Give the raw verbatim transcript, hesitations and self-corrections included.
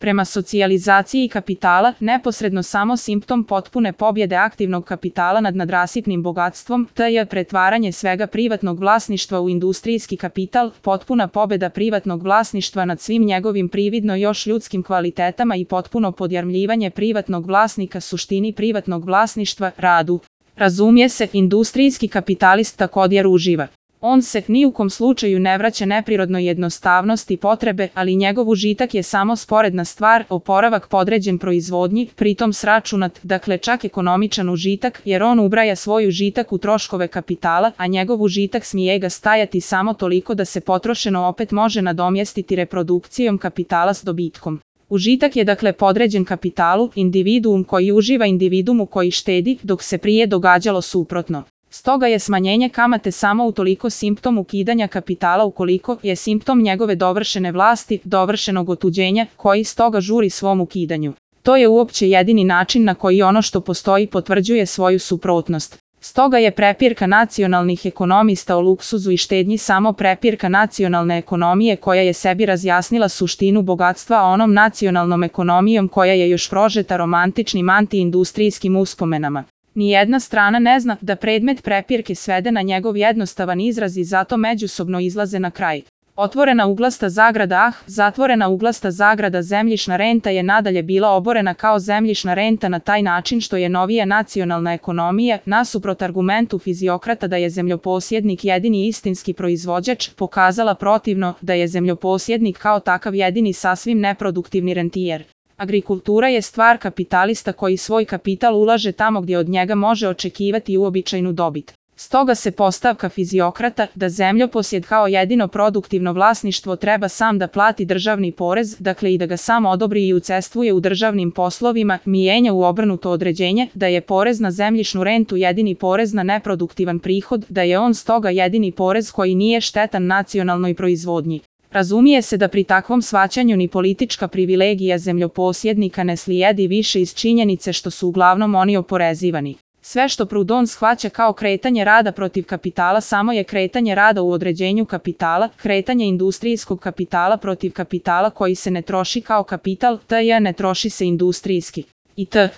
prema socijalizaciji kapitala, neposredno samo simptom potpune pobjede aktivnog kapitala nad nadrasipnim bogatstvom, te je pretvaranje svega privatnog vlasništva u industrijski kapital, potpuna pobjeda privatnog vlasništva nad svim njegovim prividno još ljudskim kvalitetama i potpuno podjarmljivanje privatnog vlasnika suštini privatnog vlasništva, radu. Razumije se, industrijski kapitalist također uživa. On se ni u kom slučaju ne vraća neprirodnoj jednostavnosti i potrebe, ali njegov užitak je samo sporedna stvar, oporavak podređen proizvodnji, pritom sračunat, dakle čak ekonomičan užitak, jer on ubraja svoj užitak u troškove kapitala, a njegov užitak smije ga stajati samo toliko da se potrošeno opet može nadomjestiti reprodukcijom kapitala s dobitkom. Užitak je dakle podređen kapitalu, individuum koji uživa individumu koji štedi, dok se prije događalo suprotno. Stoga je smanjenje kamate samo utoliko simptom ukidanja kapitala ukoliko je simptom njegove dovršene vlasti, dovršenog otuđenja, koji stoga žuri svom ukidanju. To je uopće jedini način na koji ono što postoji potvrđuje svoju suprotnost. Stoga je prepirka nacionalnih ekonomista o luksuzu i štednji samo prepirka nacionalne ekonomije koja je sebi razjasnila suštinu bogatstva onom nacionalnom ekonomijom koja je još prožeta romantičnim antiindustrijskim uspomenama. Nijedna strana ne zna da predmet prepirke svede na njegov jednostavan izraz i zato međusobno izlaze na kraj. Otvorena uglasta zagrada ah, zatvorena uglasta zagrada zemljišna renta je nadalje bila oborena kao zemljišna renta na taj način što je novija nacionalna ekonomija, nasuprot argumentu fiziokrata da je zemljoposjednik jedini istinski proizvođač, pokazala protivno da je zemljoposjednik kao takav jedini sasvim neproduktivni rentijer. Agrikultura je stvar kapitalista koji svoj kapital ulaže tamo gdje od njega može očekivati uobičajenu dobit. Stoga se postavka fiziokrata da zemljoposjed kao jedino produktivno vlasništvo treba sam da plati državni porez, dakle i da ga sam odobri i učestvuje u državnim poslovima, mijenja u obrnuto određenje da je porez na zemljišnu rentu jedini porez na neproduktivan prihod, da je on stoga jedini porez koji nije štetan nacionalnoj proizvodnji. Razumije se da pri takvom shvaćanju ni politička privilegija zemljoposjednika ne slijedi više iz činjenice što su uglavnom oni oporezivani. Sve što Proudhon shvaća kao kretanje rada protiv kapitala samo je kretanje rada u određenju kapitala, kretanje industrijskog kapitala protiv kapitala koji se ne troši kao kapital, tj. ne troši se industrijski. I t.